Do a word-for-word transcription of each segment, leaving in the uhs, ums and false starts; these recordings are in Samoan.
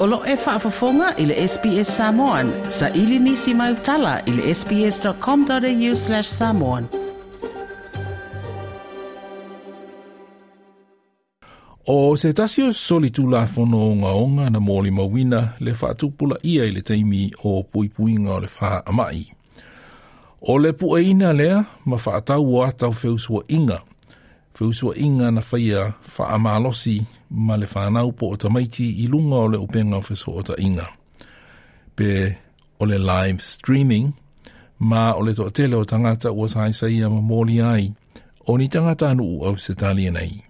O lo e faafofoga i le S B S Samoan, sa ili nisi mai utala i le S B S dot com dot A U slash samoan. O se tasi o soli tulafono o ngaonga na mōli mawina le whaatupula ia i le taimi o puipuinga o le wha amai. O le pueina lea ma whaatau o atau feusua inga. Feusua inga na whaia whaamalosi ma le whanau po o tamaiti i lunga o le upenga o feso o ta inga. Pe o le live streaming ma o le toatele o tangata ua saisa ma mōli ai o ni tangata anu au se talia nei.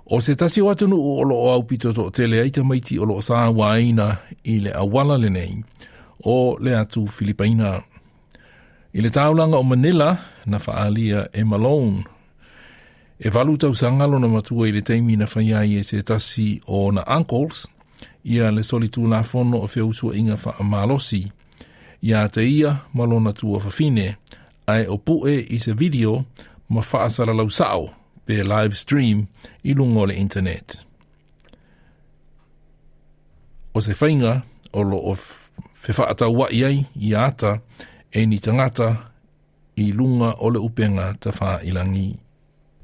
O se tasi o atunu o lo o au pito to tele ai tamaiti o lo sa waina i le awala le nei o le atu Filipaina. I le taulanga o Manila na whaalia e Malone. E valu tau sangalo na matua i le taimi na whaiai e se tasi o na uncles ia le soli tulafono o feusua inga wha malosi. Ia te ia malona tua whawhine ai o pue i se video ma whaasara lau sao pe live stream i lunga o le internet. O se whainga o lo o whewhaatau wai ai i ata e ni tangata i lunga o le upenga ta wha ilangi.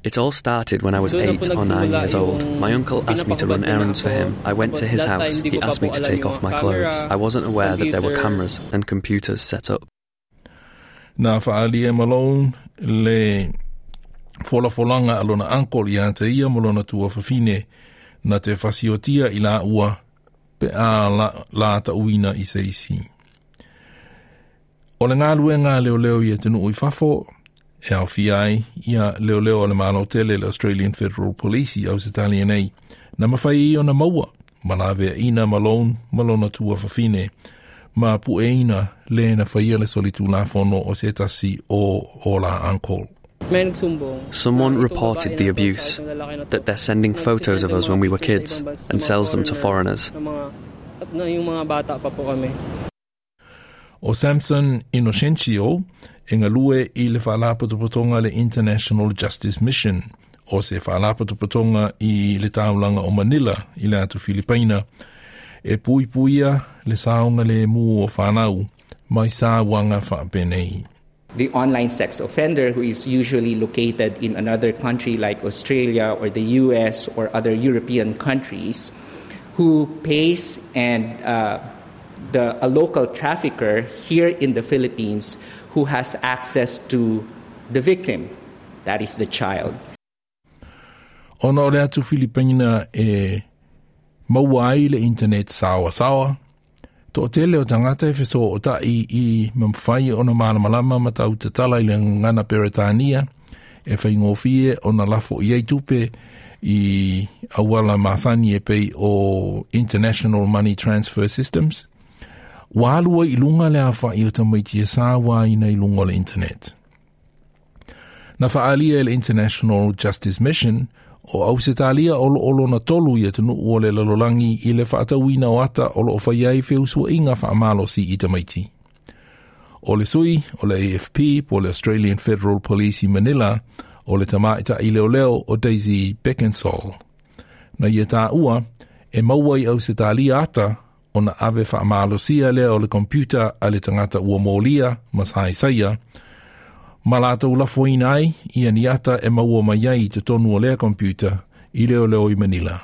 It all started when I was eight or nine years old. My uncle asked me to run errands for him. I went to his house. He asked me to take off my clothes. I wasn't aware that there were cameras and computers set up. Na whaalia Malone le folafolanga a lona uncle ia te ia mo lona tua whawhine na te fasiotia i la ua pe a la, la ta uina i se isi. O le ngā luenga leo leo i e te nuu i fafo, e au ai ia leo leo o le malo tele le Australian Federal Police i au se talia nei, na mawhai i ona maua, ma la ina Malone, malona tua whawhine, ma pueina le na whaia le solitu la fono o se tasi o o la uncle. Someone reported the abuse, that they're sending photos of us when we were kids and sells them to foreigners. O Samson Inocencio e ngalue i le whaalapotopotonga le International Justice Mission o se whaalapotopotonga i le taulanga o Manila i le atu Filipaina e pui puia le saonga le mu o whanau mai sa wanga whaapenei. The online sex offender, who is usually located in another country like Australia or the U S or other European countries, who pays and uh, the, a local trafficker here in the Philippines who has access to the victim, that is the child. Ona o le atu Filipaina e maua ai le internet sawa sawa, to tele o tangata e feso o tai i mamwhai o na malamalama ma tau te tala i le ngana Peretania e whai ngōwhie o na lafo i ei tupe i awala masani e pei o International Money Transfer Systems. Walua i lunga le awha i o tamaiti e sāwa ina i lunga o le internet. Na whaalia e le International Justice Mission o Ausetalia o lo olo na tolu i tunu o le lalolangi i le whaatauina o ata o lo o whaiai feusua inga whaamalo si i tamaiti. O le sui, o le A F P, po le Australian Federal Police i Manila, o le tamaita i leo leo o Daisy Beckensall. Na ia tā ua, e maua i Ausetalia ata o na ave whaamalosia lea o le computer a le tangata ua mōlia ma sai saia, ma lātou lafoina ai ia ni ata e maua mai ai te tonu o lea computer i leo leo i Manila.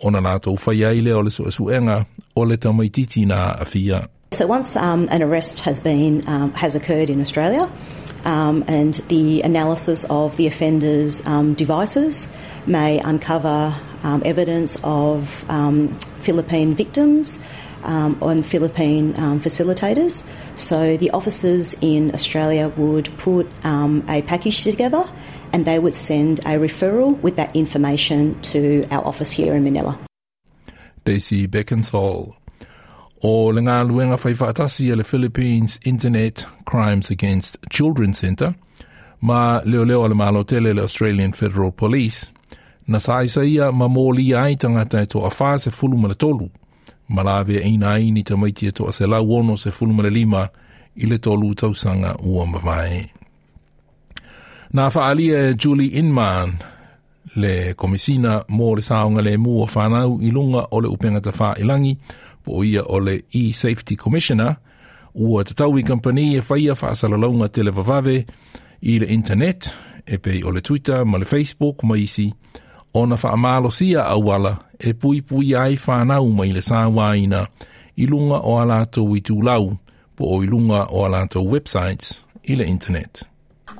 Ona lātou whai ai lea o le suesuenga o le tamaititi nā awhia. So once um, an arrest has been um, has occurred in Australia, um, and the analysis of the offender's um, devices may uncover um, evidence of um, Philippine victims um, and Philippine um, facilitators. So the officers in Australia would put um, a package together and they would send a referral with that information to our office here in Manila. Daisy Beckensall. O le ngā luenga whai whaatasi a le Philippines Internet Crimes Against Children Centre, ma leo leo a le malo tele le Australian Federal Police, na sa isa ia ma mōli ai tangata e to a wha se fulu ma le tolu, ma la ina ai ni tamaiti e to a se lau ono se fulu ma le lima i le tolu tausanga ua mavae. Nā whaalia e Julie Inman, Le komisina mo le saogalemu o fanau i luga o le upega tafailagi po o ia o le e-Safety Commissioner ua tatau i kampani e faia faasalalauga televavave i le internet e pei o le Twitter ma le Facebook ma isi ona faamalosia auala e puipuia ai fanau mai le sauaina i luga o a latou itulau po o i luga o a latou websites i le internet.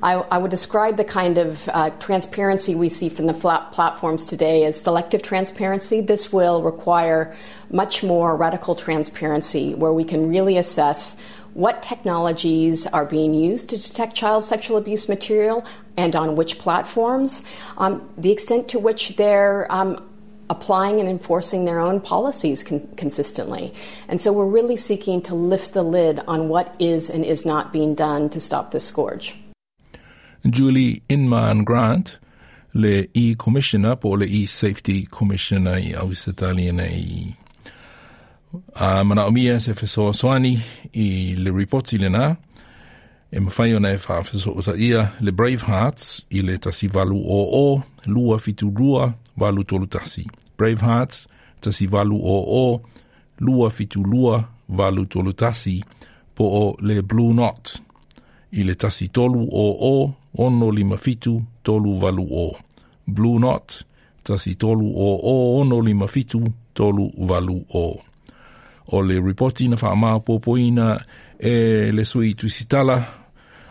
I, I would describe the kind of uh, transparency we see from the flat platforms today as selective transparency. This will require much more radical transparency where we can really assess what technologies are being used to detect child sexual abuse material and on which platforms, um, the extent to which they're um, applying and enforcing their own policies con- consistently. And so we're really seeking to lift the lid on what is and is not being done to stop this scourge. Julie Inman Grant, le e-Commissioner po o le e-Safety Commissioner i Ausetalia nei. A manaomia se fesoasoani i le ripoti lenā, e mafai ona e faafesootaia le Brave Hearts i le tasi valu o o, lua fitu lua, valu tolu tasi. Brave Hearts, tasi valu o o, lua fitu lua, valu tolu tasi, po o le Blue Knot i le tasi tolu o o, ono lima fitu, tolu valu o. Blue Knot, tasi tolu o o, ono lima fitu, tolu valu o. O le ripoti na faamaopoopoina e le sui tusitala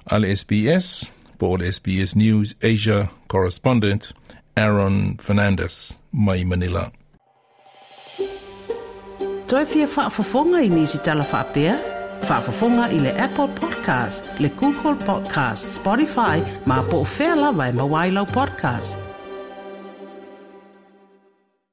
a le S B S, po o le S B S News Asia correspondent Aaron Fernandez mai Manila. Toe fia faafofoga i nisi tala faapea? Faafofoga i le Apple Podcast, le Google Podcast, Spotify, ma po o fea lava e maua ai lau podcast.